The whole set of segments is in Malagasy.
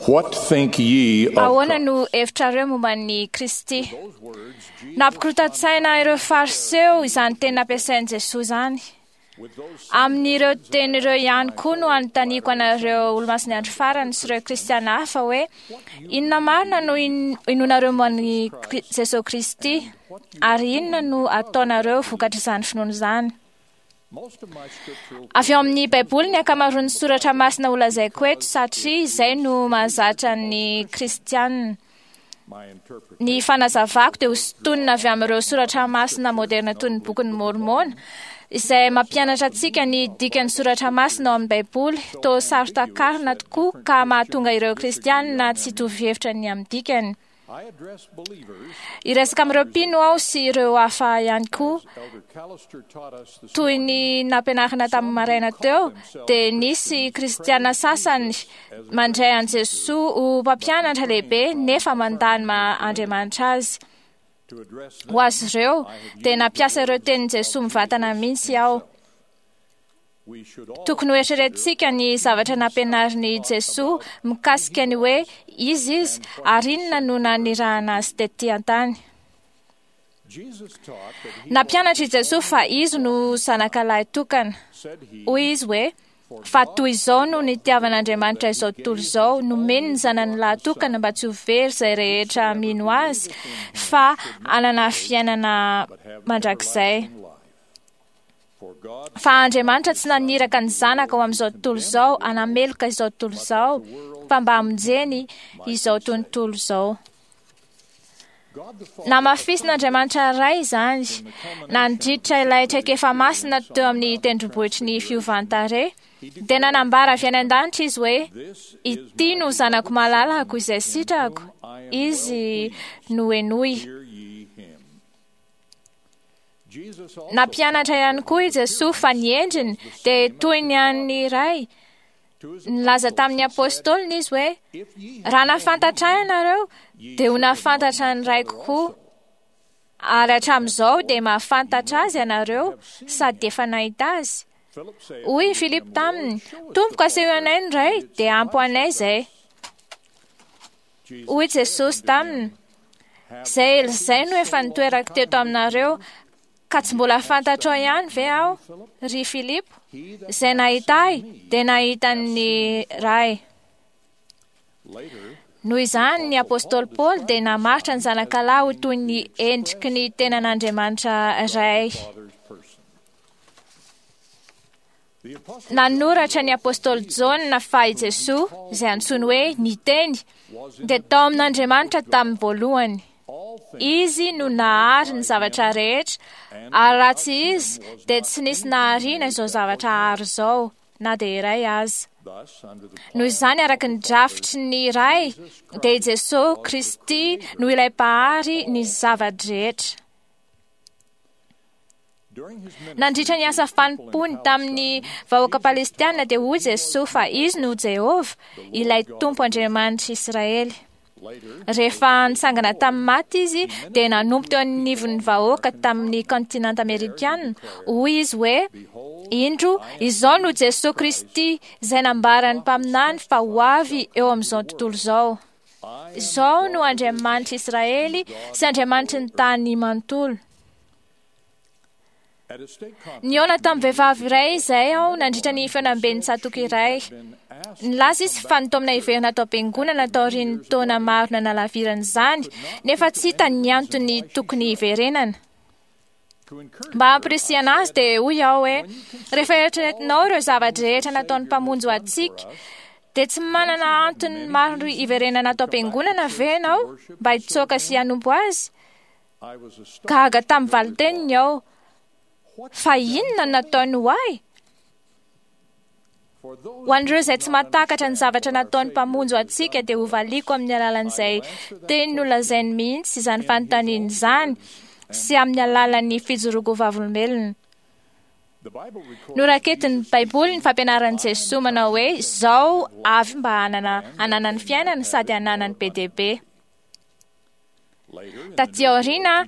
What think ye of Ahoana no hevitrareo momba an'i Kristy? Nampikorontan-tsaina ireo Fariseo izany teny nampiasain'i Jesoa izany. Amin'ireo teny ireo ihany koa no anontaniako anareo Olomasin'ny Andro Farany sy ireo Kristiana hafa hoe, Inona marina no inoanareo momba an'i Jesoa Kristy, ary inona no ataonareo vokatr'izany finoana izany? Avy ao amin'ny Baiboly ny ankamaroan'ny soratra masina holazaiko eto, satria izay no mahazatra ny Kristiana. Ny fanazavako dia hosintonina avy amin'ireo soratra masina moderna toy ny Bokin'i Môrmôna, izay mampianatra antsika ny dikan'ny soratra masina ao amin'ny Baiboly, toa saro-takarina tokoa ka mahatonga ireo Kristiana tsy hitovy hevitra ny amin'ny dikany. Hiresaka amin'ireo mpino aho sy ireo hafa ihany koa. Toy ny nampianarina tamin'ny maraina teo, dia nisy kristiana sasany mandray an'i Jesoa ho mpampianatra lehibe nefa mandà ny maha Andriamanitra azy. Ho azy ireo, dia nampiasa ireo tenin'i Jesoa mivantana mihitsy aho. Tokony hoeritreretintsika ny zavatra nampianarin'i Jesoa mikasika ny hoe iza izy ary inona no nanirahana azy tetỳ an-tany. Nampianatra i Jesoa fa izy no Zanakalahy tokana. Hoy izy hoe, Fa toy izao no nitiavan'Andriamanitra izao tontolo izao, nomeny ny Zanany lahy tokana mba tsy ho very izay rehetra mino azy, fa hanana fiainana mandrakizay. Fa Andriamanitra tsy naniraka ny Zanaka ho amin'izao tontolo izao hanameloka izao tontolo izao, fa mba hamonjeny izao tontolo izao. Namafisin'Andriamanitra Ray izany, nandritra ilay traikefa masina teo amin'ny tendrombohitry ny fiovan-tarehy, dia nanambara avy any an-danitra izy hoe, Ity no Zanako malalako izay sitrako, izy no henoy. Nampianatra ihany koa i Jesoa fa ny endriny dia toy ny an'ny Ray. Nilaza tamin'ny apôstôliny izy hoe, Raha nahafantatra ahy ianareo, dia ho nahafantatra ny Raiko koa. Ary hatramin'izao dia mahafantatra azy ianareo sady efa nahita azy. Hoy i Filipo taminy, Tompoko, asehoy anay ny Ray, dia ampy ho anay izay. Hoy Jesosy taminy, Izay ela izay no efa nitoerako teto aminareo, ka tsy mbola fantatrao ihany ve aho, ry Filipo? Izay nahita ahy dia nahita ny Ray. Noho izany, ny apostoly Paoly dia namaritra ny Zanakalahy ho toy ny endriky ny tenan'Andriamanitra Ray. Nanoratra ny apostoly Jaona fa i Jesoa, izay antsoiny hoe ny Teny, dia tao amin'Andriamanitra tamin'ny voalohany. Izy no nahary ny zavatra rehetra, ary raha tsy Izy, dia tsy nisy nahariana izao zavatra àry izao, na dia iray aza. Noho izany, araka ny drafitry ny Ray, dia i Jesoa Kristy no ilay Mpahary ny zava-drehetra. Nandritra ny asa fanompoany tamin'ny vahoaka palestiana dia hoy Jesoa fa Izy no Jehovah, ilay Tompo Andriamanitr'i Israely. Rehefa nitsangana tamin'ny maty Izy dia nanompo teo anivon'ny vahoaka tamin'ny kontinanta amerikana. Hoy Izy hoe, Indro, izao no Jesoa Kristy izay nambaran'ny mpaminany fa ho avy eo amin'izao tontolo izao. Izao no Andriamanitr'i Israely sy Andriamanitry ny tany manontolo. Nihaona tamin'ny vehivavy iray izay aho nandritra ny fihaonamben'ny tsatòka iray. Nilaza izy fa nitaomina hiverina tao am-piangonana taorian'ny taona maro nanalavirana izany, nefa tsy hitany ny antony tokony hiverenana. Mba hampirisihana azy dia hoy aho hoe, Rehefa eritreretinao ireo zava-drehetra nataon'ny Mpamonjy ho antsika, dia tsy manana antony maro hiverenana ato am-piangonana ve ianao mba hitsoaka sy hanompo Azy? Gaga tamin'ny valin-teniny aho. Fa inona no nataony ho ahy? Ho an'ireo izay tsy mahatakatra ny zavatra nataon'ny Mpamonjy ho antsika dia hovaliako amin'ny alalan'izay teny nolazainy mihitsy izany fanontaniana izany sy amin'ny alalan'ny fijoroako ho vavolombelona. Noraketin'ny Baiboly ny fampianaran'i Jesoa manao hoe, Izao avy mba hanana hananany fiainana sady hananany be dia be. Taty aoriana,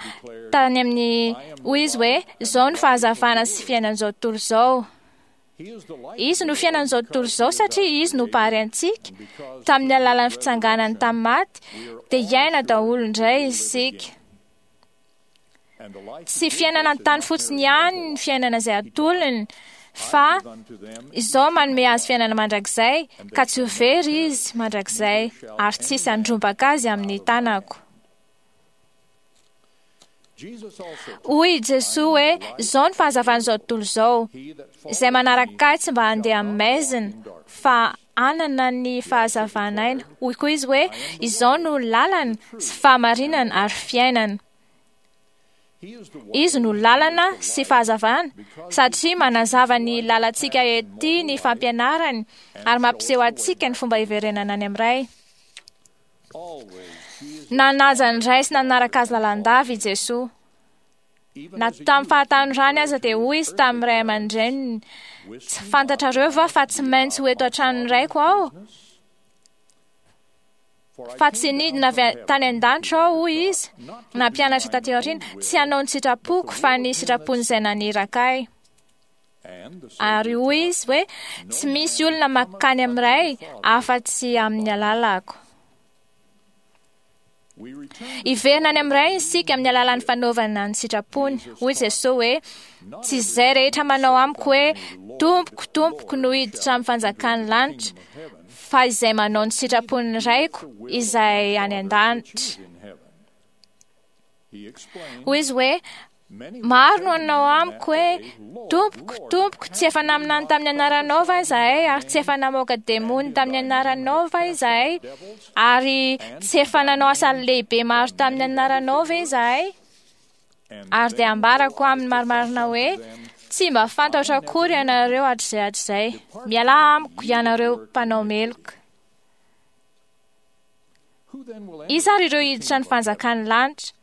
tany amin'ny, hoy izy hoe, Izao no fahazavana sy fiainan'izao tontolo izao. Izy no fiainan'izao tontolo izao satria izy no mpahary antsika. Tamin'ny alalan'ny fitsanganany tamin'ny maty dia hiaina daholo indray isika. Tsy fiainana an-tany fotsiny ihany ny fiainana izay atolony, fa izao manome azy fiainana mandrakizay, ka tsy ho very izy mandrakizay, ary tsy hisy handrombaka azy amin'ny tanako. Hoy i Jesoa hoe, izao ny fahazavan'izao tontolo izao, izay manaraka ahy tsy mba handeha amin'ny maizina, fa hanana ny fahazavan'aina. Hoy koa izy hoe, izao no lalana sy fahamarinana ary fiainana. Izy no lalana sy fahazavana, satria manazava ny lalantsika ety ny fampianarany ary mampiseho antsika ny fomba hiverenana any amin'ny Ray. Nanaja ny Ray sy nanaraka azy lalandava i Jesoa. Na tamin'ny fahatanorany aza dia hoy izy tamin'ny ray aman-dreniny, tsy fantatrareo va fa tsy maintsy ho eto an-tranon'ny Raiko aho? Fa tsy nidina avy tany an-danitra aho, hoy izy, nampianatra taty aoriana, tsy hanao ny sitrapoko fa ny sitrapon'izay naniraka ahy. Ary hoy izy hoe, tsy misy olona mankany amin'ny Ray afa-tsy amin'ny alalako. Hiverina any amin'ny Ray isika amin'ny alalan'ny fanaovana ny sitrapony. Hoy Jesoa hoe, tsy izay rehetra manao amiko hoe, Tompoko, Tompoko no hiditra amin'ny fanjakan'ny lanitra, fa izay manao ny sitrapon'ny Raiko izay any an-danitra. Hoy izy hoe, maro no hanao amiko hoe, Tompoko, Tompoko, tsy efa naminany tamin'ny anaranao va izahay, ary tsy efa namoaka demony tamin'ny anaranao va izahay, ary tsy efa nanao asa lehibe maro tamin'ny anaranao ve izahay? Ary dia ambarako aminy marimarina hoe, tsy mba fantatro akory ianareo hatrizay hatrizay. Mialà amiko ianareo mpanao meloka. Iza ary ireo hiditra ny fanjakan'ny lanitra?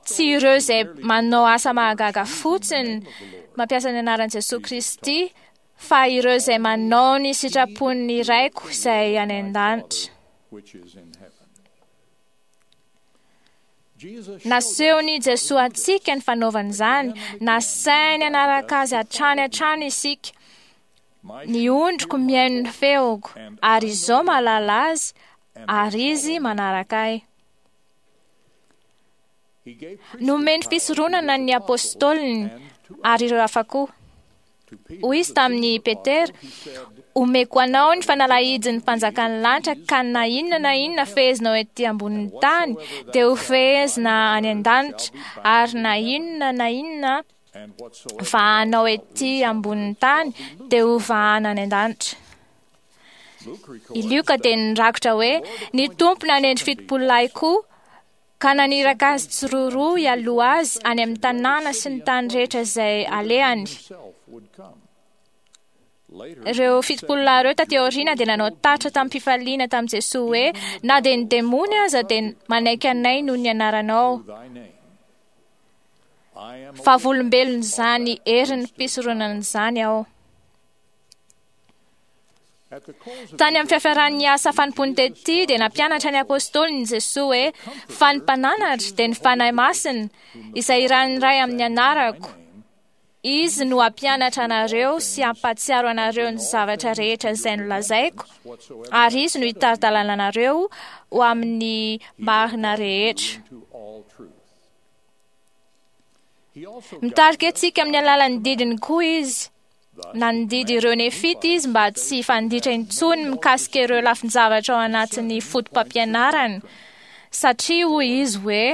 Tsy ireo izay manao asa mahagaga fotsiny mampiasa ny anaran'i Jesoa Kristy, fa ireo izay manao ny sitrapon'ny Raiko izay any an-danitra. Nasehon'i Jesoa antsika ny fanaovana izany, nasainy hanaraka azy hatrany hatrany isika. Ny ondriko mihaino ny feoko, ary izaho mahalala azy, ary izy manaraka ahy. Nomeny fisoronana ny apôstôliny ary ireo hafa koa. Hoy izy tamin'i Petera, omeko anao ny fanalahidin'ny mpanjakan'ny lanitra ka na inona na inona fehezinao ety ambonin'ny tany dia ho fehezina any an-danitra, ary na inona na inona vahanao ety ambonin'ny tany dia ho vahana any an-danitra. I Lioka dia nirakitra hoe, ny Tompo nanendry 70 lahy koa ka naniraka azy tsiroaroa hialoha azy any amin'ny tanàna sy ny tany rehetra izay alehany. Ireo 70 lahy ireo taty aoriana dia nanao tatitra tamim-pifaliana tamin'i Jesoa hoe, na dia ny demony aza dia manaiky anay noho ny anaranao. Vavolombelon'izany herin'ny fisoronana izany aho. Tany amin'ny fiafaran'ny asa fanompoany tety dia nampianatra ny apôstôliny Jesoa hoe, fa ny mpananatra dia ny Fanahy Masina, izay irahin'ny Ray amin'ny anarako. Izy no hampianatra anareo sy hampahatsiaro anareo ny zavatra rehetra izay nolazaiko, ary izy no hitari-dalana anareo ho amin'ny marina rehetra. Mitarika antsika amin'ny alalan'ny didiny koa izy. Nandidy ireo Nefita izy mba tsy hifanditra intsony mikasika ireo lafin-javatra ao anatin'ny foto-pampianarana, satria hoy izy hoe,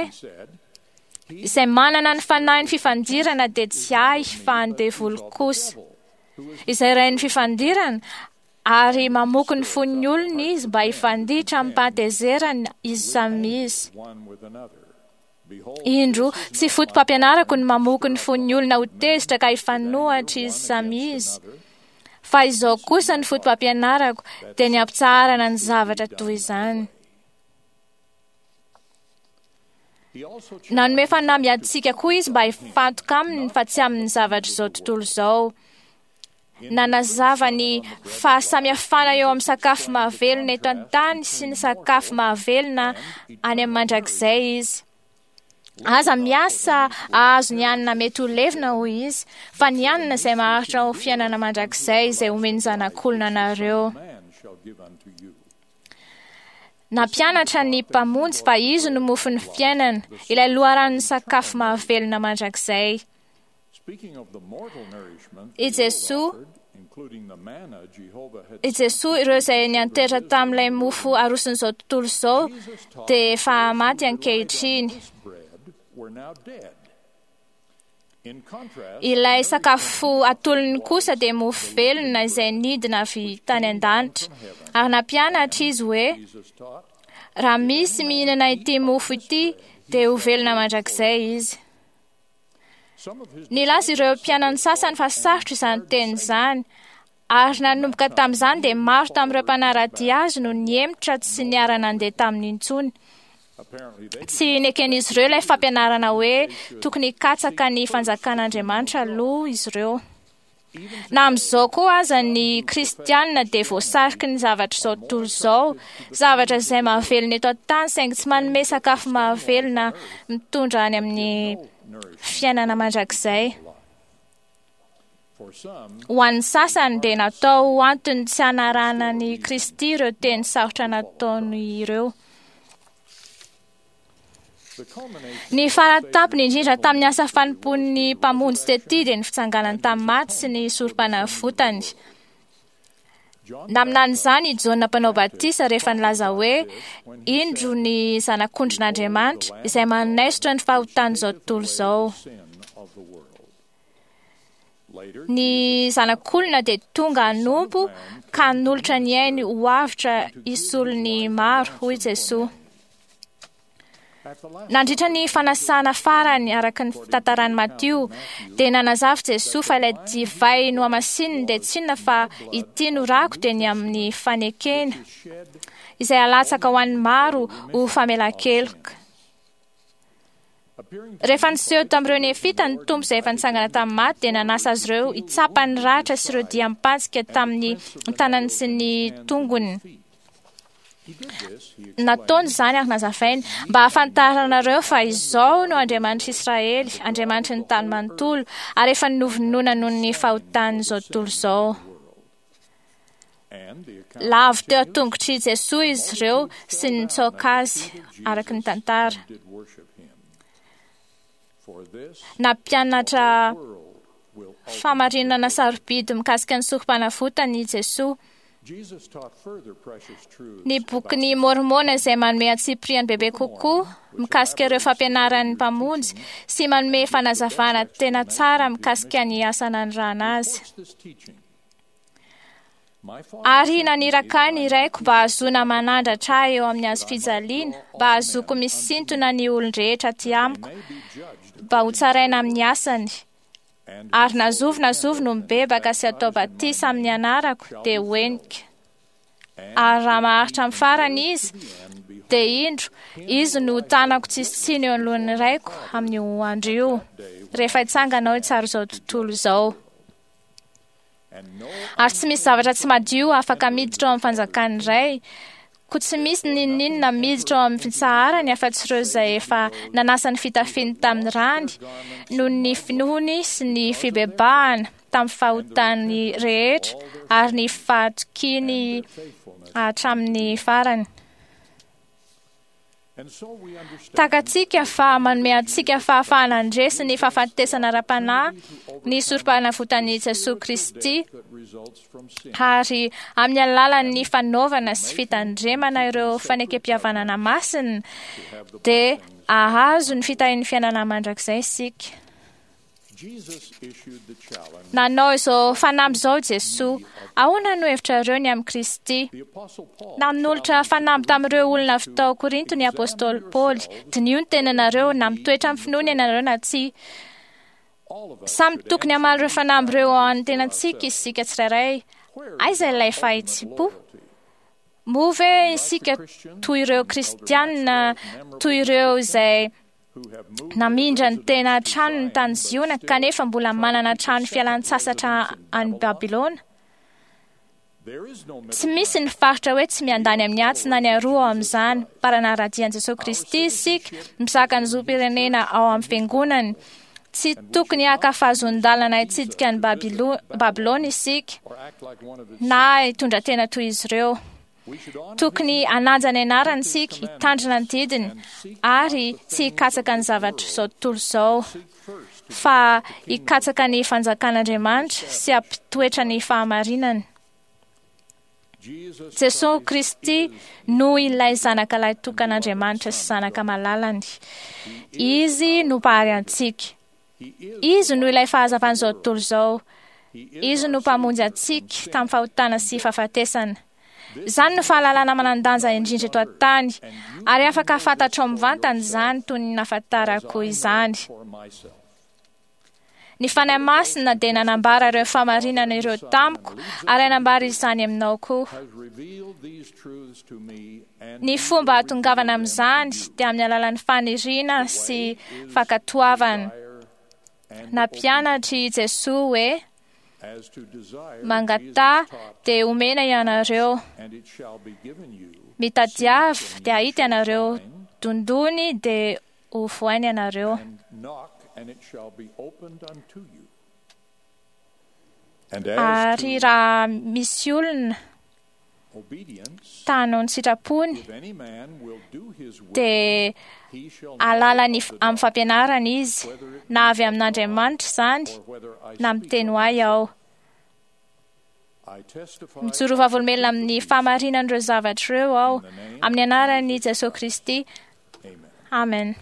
izay manana ny fanahin'ny fifandirana dia tsy ahy fa ny devoly kosa. Izay rain'ny fifandirana, ary mamoky ny fon'ny olona izy mba hifanditra amim-pahatezerana izy samy izy. Indro, tsy foto-pampianarako ny mamoky ny fon'ny olona ho tezitra ka hifanohitra izy samy izy. Fa izao kosa ny foto-pampianarako, dia ny hampitsaharana ny zavatra toy izany. Nanome fanamby antsika koa izy mba hifantoka aminy fa tsy amin'ny zavatr'izao tontolo izao. Nanazava ny fahasamihafana eo amin'ny sakafo mahavelona eto an-tany sy ny sakafo mahavelona any amin'ny mandrakizay izy. Aza miasa ahazo ny hanina mety ho levona, hoy izy, fa ny hanina izay maharitra ho fiainana mandrakizay izay omen'ny Zanak'olona anareo. Nampianatra ny Mpamonjy fa izy no mofon'ny fiainana, ilay loharanon'ny sakafo mahavelona mandrakizay. I Jesoa, i Jesoa, ireo izay niantehitra tamin'ilay mofo aroson'izao tontolo izao dia efa maty ankehitriny. Ilay sakafo atolony kosa dia mofo velona izay nidina avy tany an-danitra. Ary nampianatra izy hoe, raha misy mihinana ity mofo ity dia ho velona mandrakizay izy. Nilaza ireo mpianany sasany fa sarotra izany teny izany, ary nanomboka tamin'izany dia maro tamin'ireo mpanara-dia azy no nihemotra tsy niara-nandeha taminy intsony. Tsy neken'izy ireo ilay fampianarana hoe tokony hikatsaka ny fanjakan'Andriamanitra aloha izy ireo. Na amin'izao koa aza ny kristianina dia voasariky ny zavatra izao tontolo izao, zavatra izay mahavelona eto an-tany saingy tsy manome sakafo mahavelona mitondra any amin'ny fiainana mandrakizay. Ho an'ny sasany dia natao ho antony tsy hanarahana an'i Kristy ireo teny sarotra nataony ireo. Ny faratampony indrindra tamin'ny asa fanompoan'ny Mpamonjy tety dia ny fitsanganany tamin'ny maty sy ny sorom-panavotany. Naminany izany i Jaona mpanao batisa rehefa nilaza hoe, Indro ny Zanak'ondrin'Andriamanitra izay manaisotra ny fahotan'izao tontolo izao. Ny Zanak'olona dia tonga hanompo ka hanolotra ny ainy ho avotra hisolo ny maro, hoy Jesoa. Nandritra ny fanasana farany araka ny fitantaran'i Matio, dia nanazava Jesoa fa ilay divay nohamasininy dia tsy inona fa ity no rako dia ny amin'ny fanekena, izay alatsaka ho an'ny maro ho famelan-keloka. Rehefa niseho tamin'ireo Nefita ny Tompo izay efa nitsangana tamin'ny maty, dia nanasa azy ireo hitsapa ny ratra sy ireo diam-pantsika tamin'ny tanany sy ny tongony. Nataony izany ary nazavainy mba hahafantaranareo fa izao no Andriamanitr'i Israely, Andriamanitry ny tany manontolo, ary efa novonoina noho ny fahotan'izao tontolo izao. Lavo teo an-tongotr'i Jesoa izy ireo sy nitsaoka azy, araka ny tantara. Nampianatra fahamarinana sarobidy mikasika ny sorom-panavotana i Jesoa. Ny bokin'i Môrmôna izay manome antsipiriany bebe kokoa mikasika ireo fampianaran'ny Mpamonjy sy manome fanazavana tena tsara mikasika ny asa nanirahana azy. Ary naniraka ahy ny Raiko mba hahazoana manandratra ahy eo amin'ny hazo fijaliana, mba hahazoako misintona ny olon-drehetra aty amiko, mba hotsaraina amin'ny asany. Ary na zovy na zovy no mibebaka sy atao batisa amin'ny anarako, dia ho henika. Ary raha maharitra amin'ny farany izy, dia indro, izy no tanako tsisy tsiny eo anoloan'ny Raiko amin'io andro io, rehefa hitsangana aho hitsara izao tontolo izao. Ary tsy misy zavatra tsy madio afaka miditra ao amin'ny fanjakan'ny Ray, koa tsy misy n'inon'inona miditra ao amin'ny fitsaharany afa-tsy ireo izay efa nanasa ny fitafiany tamin'ny rany, noho ny finoany sy ny fibebahana tamin'ny fahotany rehetra ary ny fahatokiany hatramin'ny farany. Takatsika fa manome antsika fahafahana handresy ny fahafatesana ara-panahy ny sorom-panavotan'i Jesoa Kristy, ary amin'ny alalan'ny fanaovana sy fitandremana ireo fanekempihavanana masina dia hahazo ny fitahian'ny fiainana mandrakizay isika. Nanao izao fanamby izao Jesoa, ahoana no hevitrareo ny amin'i Kristy? Nanolotra fanamby tamin'ireo olona avy tao Korinto ny apostoly Paoly, diniho ny tenanareo, na mitoetra amin'ny finoana ianareo na tsia. Samy tokony hamaly ireo fanamby ireo ao an'ny tenantsika isika tsirairay. Aiza ilay fahitsim-po? Moa ve isika toy ireo Kristianina, toy ireo izay namindra ny tena tranony tany Ziona kanefa mbola manana trano fialan-tsasatra any Babylona? Tsy misy ny faritra hoe tsy miandany amin'ny atsy na ny aroa ao amin'izany. Mpanara-dia an'i Jesoa Kristy isika, mizaka ny zom-pirenena ao amin'ny fiangonany. Tsy tokony haka fahazoan-dalana hitsidika an'i Babylona isika na hitondra tena toy izy ireo. Tokony hanaja ny anarany isika, hitandrina ny didiny ary tsy hikatsaka ny zavatra izao tontolo izao, fa hikatsaka ny fanjakan'Andriamanitra sy hampitoetra ny fahamarinany. Jesoa Kristy no ilay zanaka lahy tokan'Andriamanitra sy zanaka malalany. Izy no mpahary antsika. Izy no ilay fahazavan'izao tontolo izao. Izy no mpamonjy antsika tamin'ny fahotana sy fahafatesana. Izany no fahalalana manan-danja indrindra eto an-tany, ary afaka fantatrao mivantana izany toy ny nahafantarako izany. Ny Fanahy Masina dia nanambara ireo fahamarinana ireo tamiko ary hanambara izany aminao koa. Ny fomba hahatongavana amin'izany dia amin'ny alalan'ny faniriana sy fankatoavana. Nampianatra i Jesoa hoe, Mangataha dia homena ianareo, mitadiava dia hahita ianareo, dondony dia ho vohaina ianareo. Ary raha misy olona ta hanao ny sitrapony, dia hahalala ny amin'ny fampianarana izy, na avy amin'Andriamanitra izany, na miteny ho ahy aho. Mijoro vavolombelona amin'ny fahamarinan'ireo zavatra ireo aho, amin'ny anaran'i Jesoa Kristy. Amen.